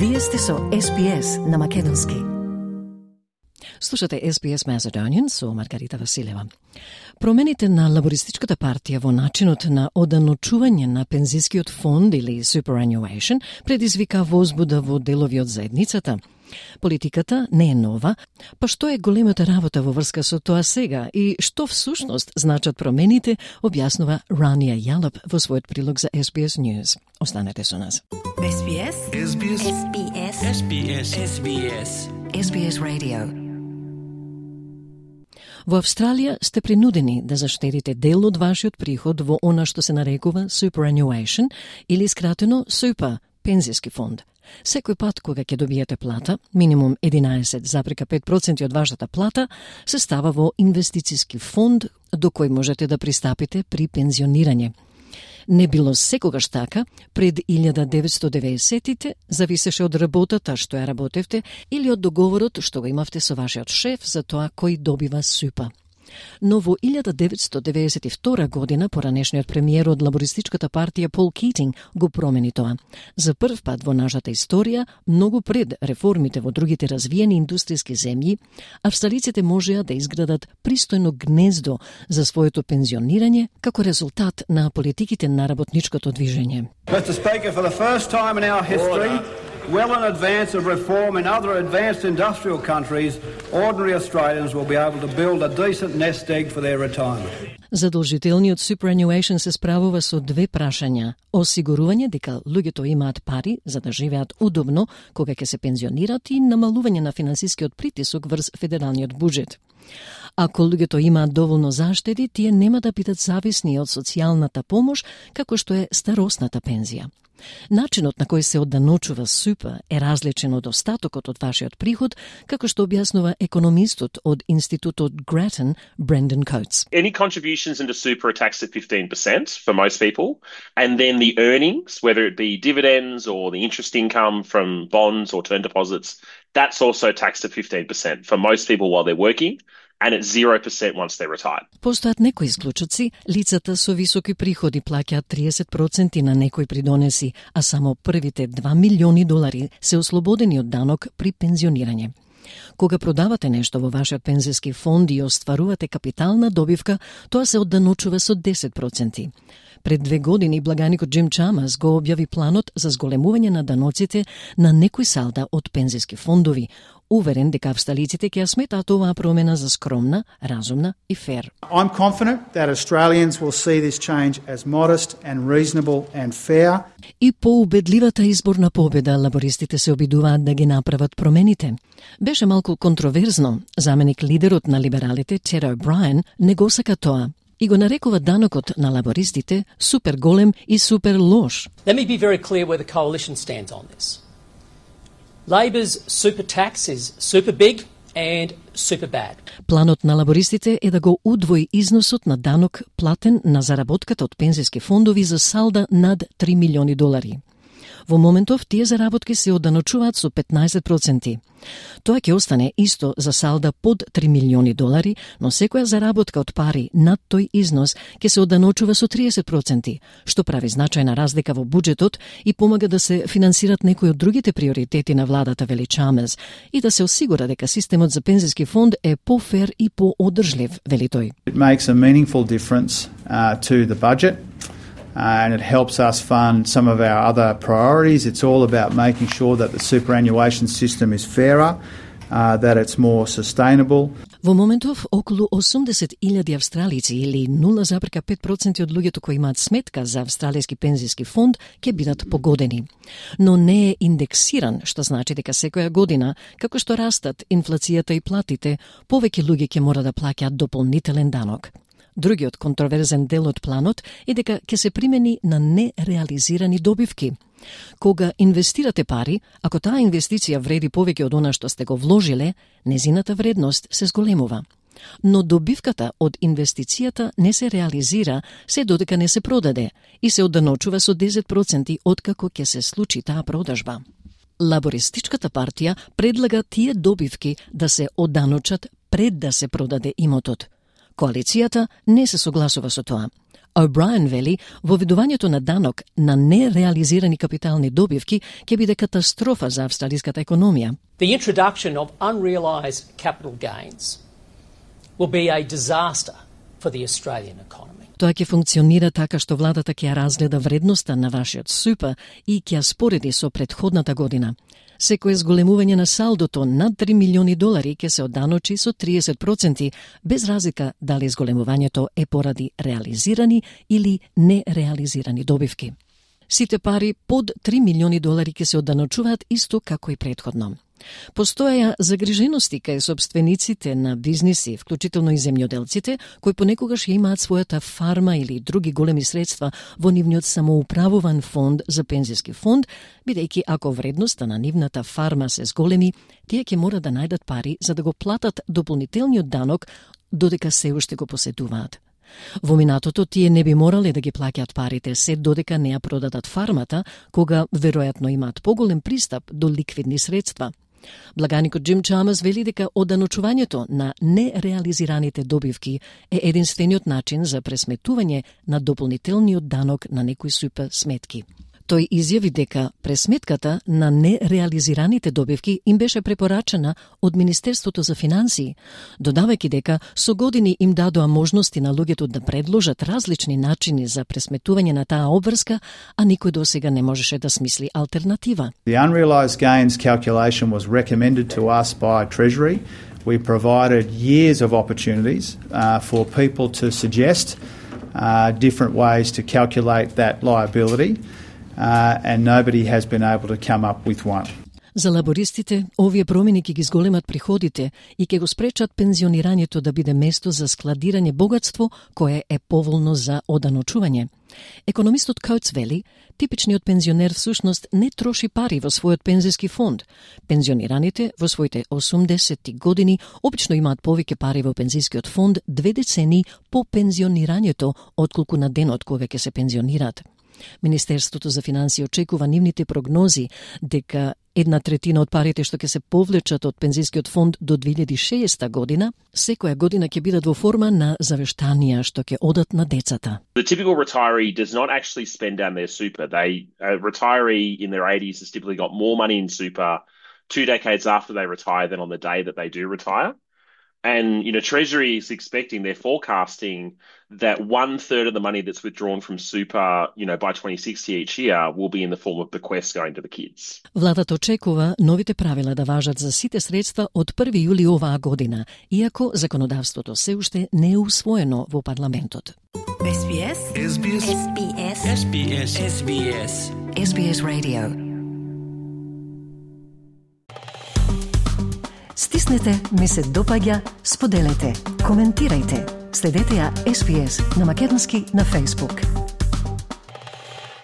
Вие сте со SBS на македонски. Слушате SBS Macedonian со Маргарита Василева. Промените на Лабористичката партија во начинот на оданочување на пензискиот фонд или superannuation предизвика возбуда во делови од заедницата. Политиката не е нова, па што е големата работа во врска со тоа сега и што всушност значат промените, објаснува Рания Јалап во својот прилог за SBS News. Останете со нас. SBS. SBS. SBS. SBS. SBS. SBS Radio. Во Австралија сте принудени да заштедите дел од вашиот приход во она што се нарекува superannuation или скратено SUPA, пензиски фонд. Секој пат кога ќе добиете плата, минимум 11,5% од вашата плата, се става во инвестициски фонд до кој можете да пристапите при пензионирање. Не било секогаш така, пред 1990-тите зависеше од работата што ја работевте или од договорот што го имавте со вашиот шеф за тоа кој добива SUPA. Но во 1992 година поранешниот премиер од Лабористичката партија Пол Китинг го промени тоа. За прв пат во нашата историја, многу пред реформите во другите развиени индустријски земји, австралиците можеа да изградат пристојно гнездо за своето пензионирање како резултат на политиките на работничкото движење. Mr. Speaker, for the first time in our history, well in advance of reform in other advanced industrial countries, ordinary Australians will be able to build a decent nest egg for their retirement. Задолжителниот superannuation се справува со две прашања: осигурување дека луѓето имаат пари за да живеат удобно кога ќе се пензионират и намалување на финансискиот притисок врз федералниот буџет. Ако луѓето имаат доволно заштеди, тие нема да бидат зависни од социјалната помош како што е старосната пензија. Начинот на кој се одданочува SUPA е различен од остатокот од вашиот приход, како што објаснува економистот од Институтот Grattan, Brendan Coates. Any contributions into SUPA are taxed at 15% for most people, and then the earnings, whether it be dividends or the interest income from bonds or term deposits, that's also taxed at 15% for most people while they're working, and it's 0% once they're retired. Постојат некои исклучоци, лицата со високи приходи плаќаат 30% на некои придонеси, а само првите $2 милиони се ослободени од данок при пензионирање. Кога продавате нешто во вашиот пензиски фонд и остварувате капитална добивка, тоа се одданочува со 10%. Пред 2 години благаникот Джим Чамас го објави планот за зголемување на даноците на некои салда од пензиски фондови, уверен дека австралиците ќе ја сметаат оваа промена за скромна, разумна и фер. I'm confident that Australians will see this change as modest and reasonable and fair. И по убедливата изборна победа лабористите се обидуваат да ги направат промените. Беше малку контроверзно, заменик лидерот на либералите Тед О'Брајен не го сака тоа и го нарекува данокот на лабористите супер голем и супер лош. Let me be very clear where the coalition stands on this. Labor's super tax is super big and super bad. Планот на лабористите е да го удвои износот на данок платен на заработката од пензиски фондови за салда над $3 милиони. Во моментов тие заработки се одданочуваат со 15%. Тоа ќе остане исто за салда под $3 милиони, но секоја заработка од пари над тој износ ќе се одданочува со 30%, што прави значајна разлика во буџетот и помага да се финансират некои од другите приоритети на владата, вели Чамес, и да се осигура дека системот за пензиски фонд е пофер и поодржлив, вели тој. It makes a meaningful difference to the budget. And it helps us fund some of our other priorities. It's all about making sure that the superannuation system is fairer, that it's more sustainable. Во моментов, околу 80,000 австралици или 0,5% од луѓето кои имаат сметка за австралијски пензиски фонд ќе бидат погодени. Но не е индексиран, што значи дека секоја година, како што растат инфлацијата и платите, повеќе луѓе ќе мора да плаќаат дополнителен данок. Другиот контроверзен дел од планот е дека ќе се примени на нереализирани добивки. Кога инвестирате пари, ако таа инвестиција вреди повеќе од она што сте го вложиле, незината вредност се зголемува. Но добивката од инвестицијата не се реализира се додека не се продаде и се одданочува со 10% откако ќе се случи таа продажба. Лабористичката партија предлага тие добивки да се одданочат пред да се продаде имотот. Коалицијата не се согласува со тоа. O'Brien вели, воведувањето на данок на нереализирани капитални добивки ќе биде катастрофа за австралиската економија. The introduction of unrealised capital gains will be a disaster for the Australian economy. Тоа ќе функционира така што владата ќе ја разгледа вредноста на вашиот супер и ќе ја спореди со претходната година. Секое зголемување на салдото над 3 милиони долари ќе се одданочи со 30%, без разлика дали зголемувањето е поради реализирани или нереализирани добивки. Сите пари под 3 милиони долари ќе се одданочуваат исто како и претходно. Постоја загрижености кај собствениците на бизниси, вклучително и земјоделците, кои понекогаш ја имаат својата фарма или други големи средства во нивниот самоуправуван фонд за пензиски фонд, бидејќи ако вредноста на нивната фарма се зголеми, тие ќе мора да најдат пари за да го платат дополнителниот данок додека се уште го поседуваат. Во минатото тие не би морале да ги плаќаат парите се додека не ја продадат фармата, кога веројатно имаат поголем пристап до ликвидни средства. Благаникот Джим Чамас вели дека одданочувањето на нереализираните добивки е единствениот начин за пресметување на дополнителниот данок на некои супер сметки. Тој изјави дека пресметката на нереализираните добивки им беше препорачена од Министерството за финансии, додавајќи дека со години им дадоа можности на луѓето да предложат различни начини за пресметување на таа обврска, а никој досега не можеше да смисли алтернатива. The unrealised gains calculation was recommended to us by Treasury. We provided years of opportunities for people to suggest different ways to calculate that liability. And nobody has been able to come up with one. За лабористите, овие промени ќе ги зголемат приходите и ќе го спречат пензионирањето да биде место за складирање богатство кое е поволно за одданочување. Економистот Коутс вели, типичниот пензионер всушност не троши пари во својот пензиски фонд. Пензионираните во своите 80 години обично имаат повеќе пари во пензискиот фонд 2 децении по пензионирањето отколку на денот кога ќе се пензионираат. Министерството за финансии очекува нивните прогнози дека 1/3 од парите што ќе се повлечат од пензискиот фонд до 2060 година, секоја година ќе бидат во форма на завештанија што ќе одат на децата. The typical retiree does not actually spend down their super. A retiree in their 80s has typically got more money in super 2 decades after they retire than on the day that they do retire. And, Treasury is expecting, they're forecasting that 1/3 of the money that's withdrawn from super, by 2060 each year will be in the form of bequests going to the kids. Владата очекува новите правила да важат за сите средства од 1 јули оваа година, иако законодавството се уште не е усвоено во парламентот. SBS SBS SBS SBS SBS SBS Radio. Стиснете, ми се допаѓа, споделете, коментирајте. Следете ја SBS на македонски на Facebook.